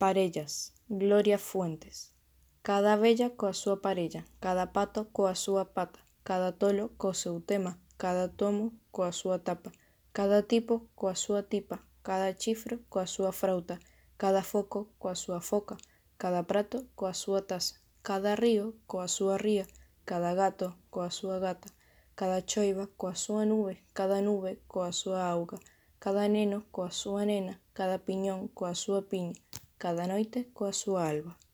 Parellas, Gloria Fuentes. Cada abella coa súa parella, cada pato coa súa pata, cada tolo co seu tema, cada tomo coa súa tapa, cada tipo coa súa tipa, cada chifro coa súa frauta, cada foco coa súa foca, cada prato coa súa taza, cada río coa súa ría, cada gato coa súa gata, cada choiva coa súa nube coa súa auga, cada neno coa súa nena, cada piñón coa súa piña, cada noite coa súa alba.